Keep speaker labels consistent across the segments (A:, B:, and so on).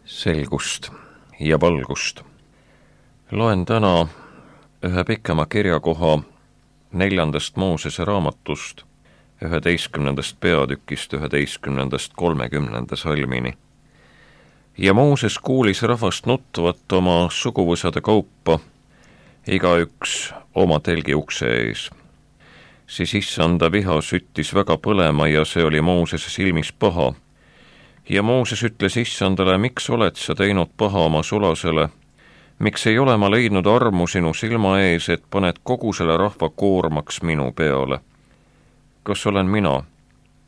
A: selgust ja valgust. Loen täna ühe pikema kirjakoha 4. Moosese raamatust, 11. peatükist 11.30 salmini. Ja Mooses kuulis rahvast nutvat oma suguvõsade kaupa, igaüks oma telgi ukse ees. Siis issanda viha süttis väga põlema ja see oli Moosese silmis paha. Ja Mooses ütles issandale, miks oled sa teinud paha oma sulasele? Miks ei ole ma leidnud armu sinu silma ees, et paned kogu selle rahva koormaks minu peale? Kas olen mina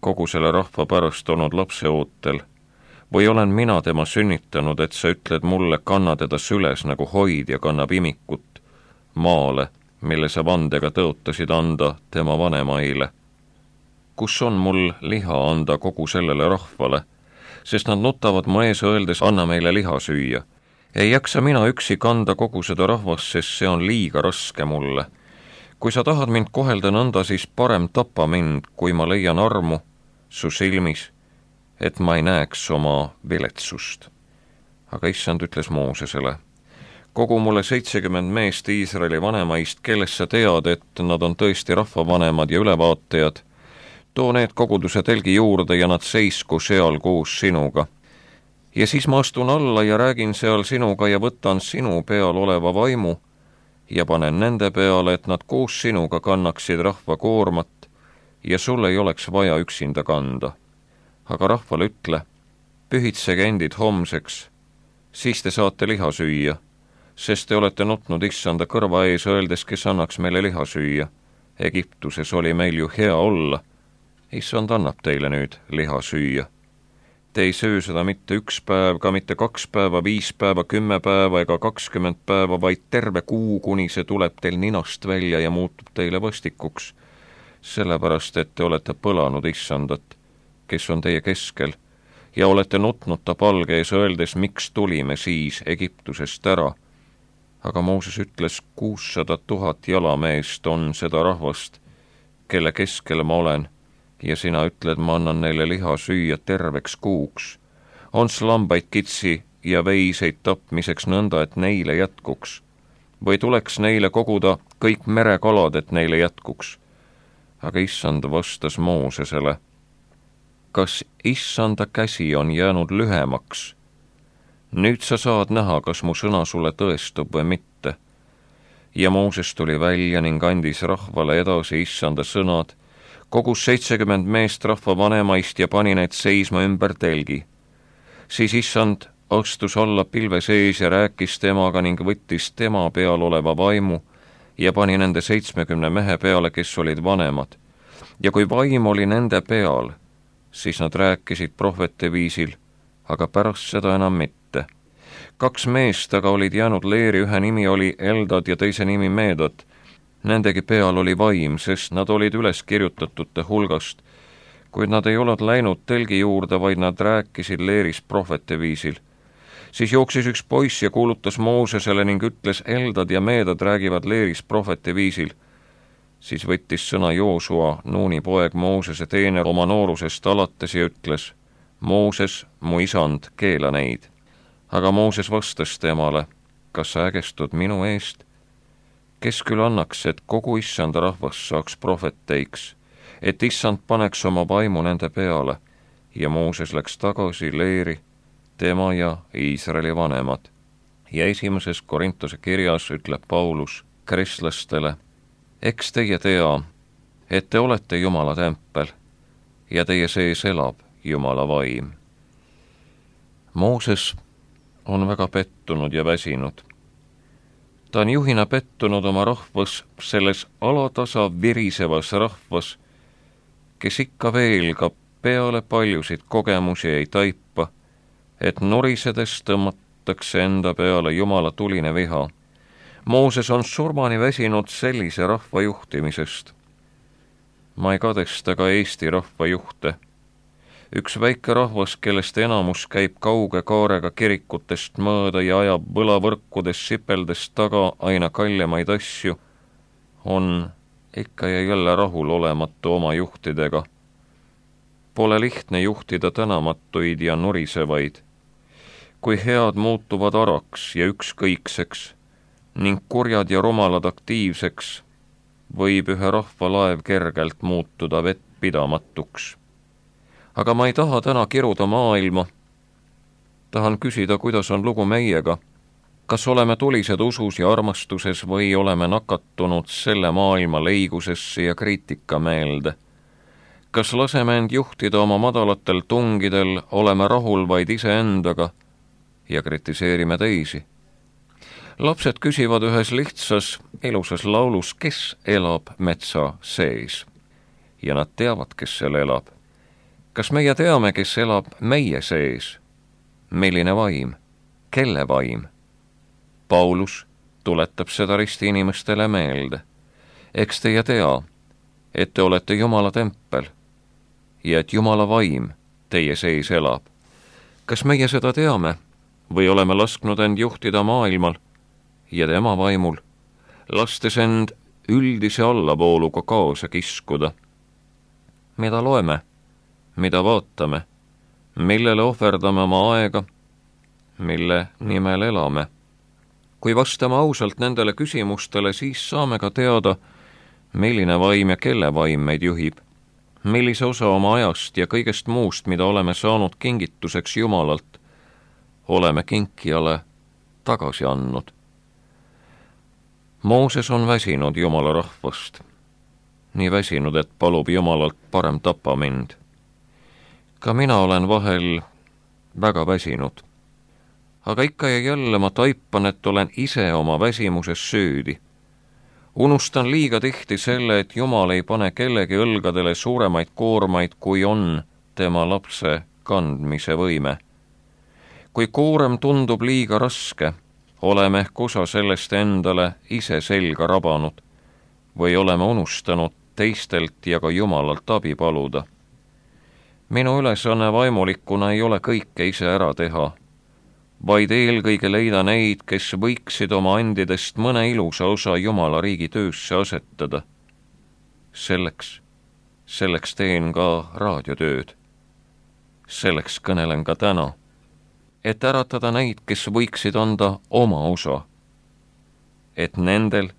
A: kogu selle rahva pärast olnud lapseootel? Või olen mina tema sünnitanud, et sa ütled mulle, kanna teda süles nagu hoidja kannab imikut maale, mille sa vandega tõotasid anda tema vanemaile? Kus on mul liha anda kogu sellele rahvale? Sest nad nutavad mu ees öeldes, anna meile liha süüa. Ei jaksa mina üksi kanda kogu seda rahvast, sest see on liiga raske mulle. Kui sa tahad mind kohelda nõnda, siis parem tapa mind, kui ma leian armu su silmis, et ma ei näeks oma viletsust. Aga issand ütles Moosesele, kogu mulle 70 meest Iisraeli vanemaist, kellest sa tead, et nad on tõesti rahvavanemad ja ülevaatajad, too need koguduse telgi juurde ja nad seisku seal koos sinuga. Ja siis ma astun alla ja räägin seal sinuga ja võtan sinu peal oleva vaimu ja panen nende peale, et nad koos sinuga kannaksid rahva koormat ja sul ei oleks vaja üksinda kanda. Aga rahvale ütle, pühitsege endid homseks, siis te saate liha süüa, sest te olete nutnud issanda kõrva ees öeldes, kes annaks meile liha süüa. Egiptuses oli meil ju hea olla. Issand annab teile nüüd liha süüa. Te ei söö seda mitte 1 päev, ka mitte 2 päeva, 5 päeva, 10 päeva ega 20 päeva, vaid terve kuu, kuni see tuleb teil ninast välja ja muutub teile vastikuks. Sellepärast, et te olete põlanud issandat, kes on teie keskel, ja olete nutnud ta palge ees öeldes, miks tulime siis Egiptusest ära. Aga Mooses ütles, 600 000 jalameest on seda rahvast, kelle keskel ma olen, ja sina ütled, ma annan neile liha süüa terveks kuuks. On lambaid, kitsi ja veiseid tapmiseks nõnda, et neile jätkuks. Või tuleks neile koguda kõik merekalad, et neile jätkuks. Aga issand vastas Moosesele, kas issanda käsi on jäänud lühemaks? Nüüd sa saad näha, kas mu sõna sulle tõestub või mitte. Ja Mooses tuli välja ning andis rahvale edasi issanda sõnad, kogus 70 meest rahva vanemaist ja pani need seisma ümber telgi. Siis issand astus alla pilve sees ja rääkis temaga ning võttis tema peal oleva vaimu ja pani nende 70 mehe peale, kes olid vanemad. Ja kui vaim oli nende peal, siis nad rääkisid prohvete viisil, aga pärast seda enam mitte. 2 meest aga olid jäänud leeri, ühe nimi oli Eldad ja teise nimi Meedad. Nendegi peal oli vaim, sest nad olid üles kirjutatute hulgast, kuid nad ei olnud läinud telgi juurde, vaid nad rääkisid leeris prohvete viisil. Siis jooksis üks poiss ja kuulutas Moosesele ning ütles, Eldad ja Meedad räägivad leeris prohvete viisil. Siis võttis sõna Joosua, Nuuni poeg, Moosese teener oma noorusest alates ja ütles, Mooses, mu isand, keela neid. Aga Mooses vastas temale, kas sa ägestud minu eest? Kes küll annaks, et kogu issanda rahvas saaks prohveteiks, et issand paneks oma vaimu nende peale, ja Mooses läks tagasi leeri, tema ja Iisraeli vanemad. Ja 1. Korintuse kirjas ütleb Paulus kristlastele, eks teie tea, et te olete Jumala tempel ja teie sees elab Jumala vaim. Mooses on väga pettunud ja väsinud. Ta on juhina pettunud oma rahvas, selles alatasa virisevas rahvas, kes ikka veel ka peale paljusid kogemusi ei taipa, et norisedes tõmmatakse enda peale Jumala tuline viha. Mooses on surmani väsinud sellise rahva juhtimisest. Ma ei kadesta ka Eesti rahva juhte. Üks väike rahvas, kellest enamus käib kauge kaarega kirikutest mööda ja ajab võlavõrkudes sipeldes taga aina kaljemaid asju, on ikka ja jälle rahul olematu oma juhtidega. Pole lihtne juhtida tänamatuid ja nurisevaid. kui head muutuvad araks ja ükskõikseks ning kurjad ja rumalad aktiivseks, võib ühe rahva laev kergelt muutuda vettpidamatuks. Aga ma ei taha täna kiruda maailma. Tahan küsida, kuidas on lugu meiega. Kas oleme tulised usus ja armastuses või oleme nakatunud selle maailma leigusesse ja kriitikameelde? Kas laseme end juhtida oma madalatel tungidel, oleme rahul vaid iseendaga ja kritiseerime teisi? Lapsed küsivad ühes lihtsas, ilusas laulus, kes elab metsa sees. Ja nad teavad, kes seal elab. Kas meie teame, kes elab meie sees? Milline vaim? Kelle vaim? Paulus tuletab seda risti inimestele meelde. Eks teie tea, et te olete Jumala tempel ja et Jumala vaim teie sees elab. Kas meie seda teame või oleme lasknud end juhtida maailmal ja tema vaimul, lastes end üldise allavooluga kaasa kiskuda? Mida loeme, mida vaatame, millele ohverdame oma aega, mille nimel elame? Kui vastame ausalt nendele küsimustele, siis saame ka teada, milline vaim ja kelle vaim meid juhib, millise osa oma ajast ja kõigest muust, mida oleme saanud kingituseks Jumalalt, oleme kinkijale tagasi andnud. Mooses on väsinud Jumala rahvast, nii väsinud, et palub Jumalalt parem tapa mind. Ka mina olen vahel väga väsinud, aga ikka ja jälle ma taipan, et olen ise oma väsimuses süüdi. Unustan liiga tihti selle, et Jumal ei pane kellegi õlgadele suuremaid koormaid, kui on tema lapse kandmise võime. Kui koorem tundub liiga raske, oleme ehk osa sellest endale ise selga rabanud või oleme unustanud teistelt ja ka Jumalalt abi paluda. Minu ülesanne vaimulikuna ei ole kõike ise ära teha, vaid eelkõige leida neid, kes võiksid oma andidest mõne ilusa osa Jumala riigi töösse asetada. Selleks teen ka raadiotööd. Selleks kõnelen ka täna, et äratada neid, kes võiksid anda oma osa. Et nendel,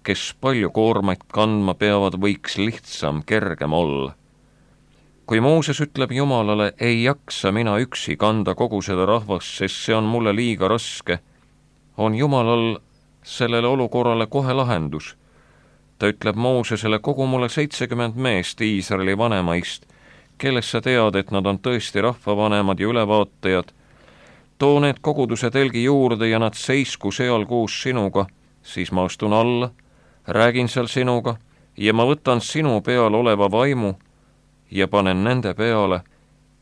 A: kes palju koormaid kandma peavad, võiks lihtsam, kergem olla. Kui Mooses ütleb Jumalale, ei jaksa mina üksi kanda kogu seda rahvast, sest see on mulle liiga raske, on Jumalal sellele olukorrale kohe lahendus. Ta ütleb Moosesele, kogu mulle 70 meest Iisraeli vanemaist, kellest sa tead, et nad on tõesti rahvavanemad ja ülevaatajad. Too need koguduse telgi juurde ja nad seisku seal koos sinuga, siis ma astun alla, räägin seal sinuga ja ma võtan sinu peal oleva vaimu ja panen nende peale,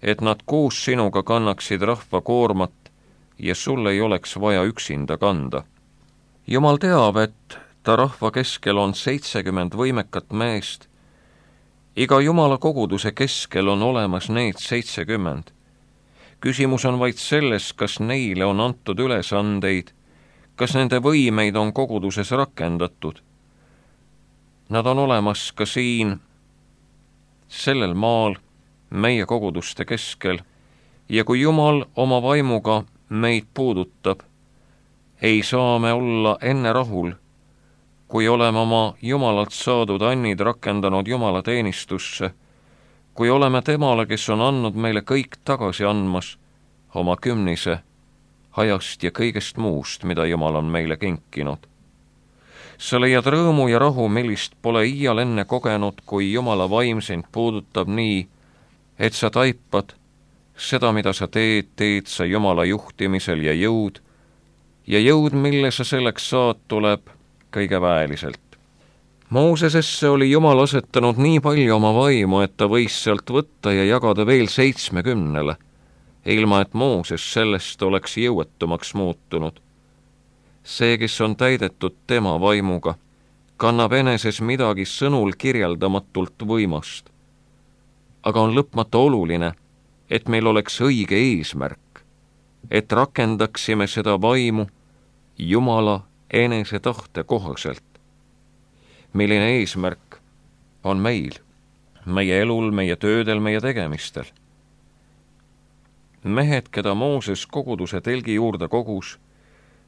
A: et nad koos sinuga kannaksid rahva koormat ja sul ei oleks vaja üksinda kanda. Jumal teab, et ta rahva keskel on 70 võimekat meest. Iga Jumala koguduse keskel on olemas need 70. Küsimus on vaid selles, kas neile on antud ülesandeid, kas nende võimeid on koguduses rakendatud. Nad on olemas ka siin, sellel maal, meie koguduste keskel, ja kui Jumal oma vaimuga meid puudutab, ei saa me olla enne rahul, kui oleme oma Jumalalt saadud annid rakendanud Jumala teenistusse, kui oleme temale, kes on andnud meile kõik tagasi andmas, oma kümnise, ajast ja kõigest muust, mida Jumal on meile kinkinud. Sa leiad rõõmu ja rahu, millist pole iial enne kogenud, kui Jumala vaim sind puudutab nii, et sa taipad seda, mida sa teed sa Jumala juhtimisel ja jõud, mille sa selleks saad, tuleb kõige väeliselt. Moosesesse oli Jumal asetanud nii palju oma vaimu, et ta võis sealt võtta ja jagada veel 70, ilma et Mooses sellest oleks jõuetumaks muutunud. See, kes on täidetud tema vaimuga, kannab eneses midagi sõnul kirjeldamatult võimast. Aga on lõpmata oluline, et meil oleks õige eesmärk, et rakendaksime seda vaimu Jumala enese tahte kohaselt. Milline eesmärk on meil, meie elul, meie töödel, meie tegemistel? mehed, keda Mooses koguduse telgi juurde kogus,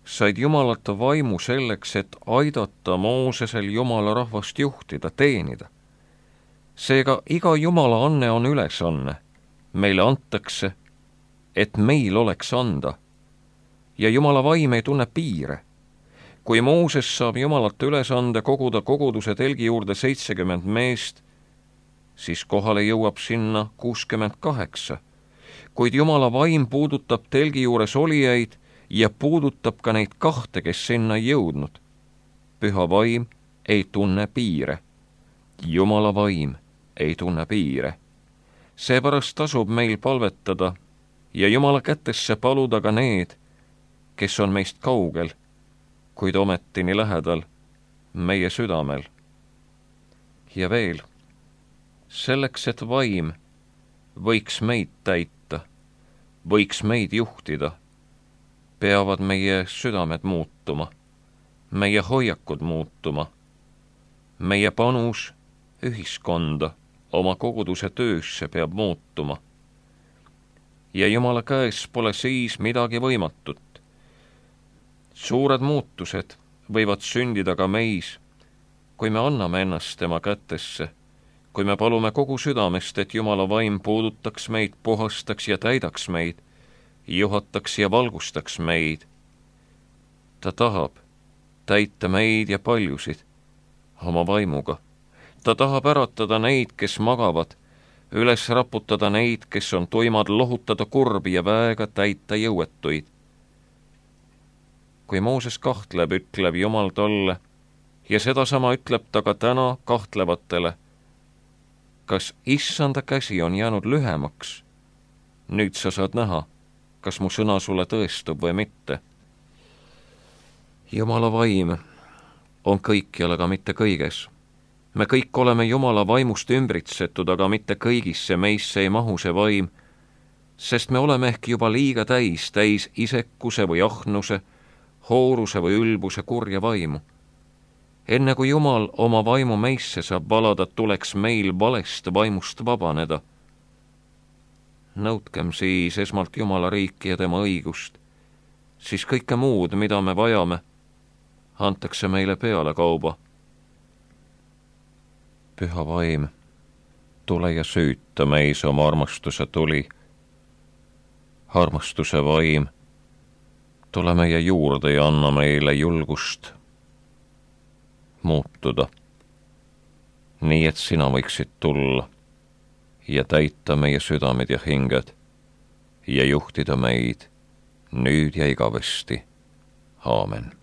A: said Jumalata vaimu selleks, et aidata Moosesel Jumala rahvast juhtida, teenida. Seega iga Jumala anne on ülesanne. Meile antakse, et meil oleks anda. Ja Jumala vaim ei tunne piire. Kui Mooses saab Jumalata ülesande koguda koguduse telgi juurde 70 meest, siis kohale jõuab sinna 68. Kuid Jumala vaim puudutab telgi juures olijaid ja puudutab ka neid 2, kes sinna ei jõudnud. Püha vaim ei tunne piire. Jumala vaim ei tunne piire. Seepärast tasub meil palvetada ja Jumala kätesse paluda ka need, kes on meist kaugel, kuid ometini lähedal meie südamel. Ja veel, selleks, et vaim võiks meid täita, võiks meid juhtida, peavad meie südamed muutuma, meie hoiakud muutuma, meie panus ühiskonda, oma koguduse töösse peab muutuma. Ja Jumala käes pole siis midagi võimatut. Suured muutused võivad sündida ka meis, kui me anname ennast tema kätesse, kui me palume kogu südamest, et Jumala vaim puudutaks meid, puhastaks ja täidaks meid, juhataks ja valgustaks meid. Ta tahab täita meid ja paljusid oma vaimuga. Ta tahab äratada neid, kes magavad, üles raputada neid, kes on tuimad, lohutada kurbi ja väega täita jõuetuid. Kui Mooses kahtleb, ütleb Jumal talle, ja sedasama ütleb ta ka täna kahtlevatele. Kas issanda käsi on jäänud lühemaks? Nüüd sa saad näha, kas mu sõna sulle tõestub või mitte. Jumala vaim on kõikjal, aga mitte kõiges. Me kõik oleme Jumala vaimust ümbritsetud, aga mitte kõigisse meisse ei mahu see vaim, sest me oleme ehk juba liiga täis isekuse või ahnuse, hooruse või ülbuse kurja vaimu. Enne kui Jumal oma vaimu meisse saab valada, tuleks meil valest vaimust vabaneda. Nõudkem siis esmalt Jumala riiki ja tema õigust, siis kõike muud, mida me vajame, antakse meile peale kauba. Püha vaim, tule ja süüta meis oma armastuse tuli. Armastuse vaim, tule meie juurde ja anna meile julgust muutuda, nii et sina võiksid tulla ja täita meie südamed ja hinged ja juhtida meid nüüd ja igavesti. Aamen.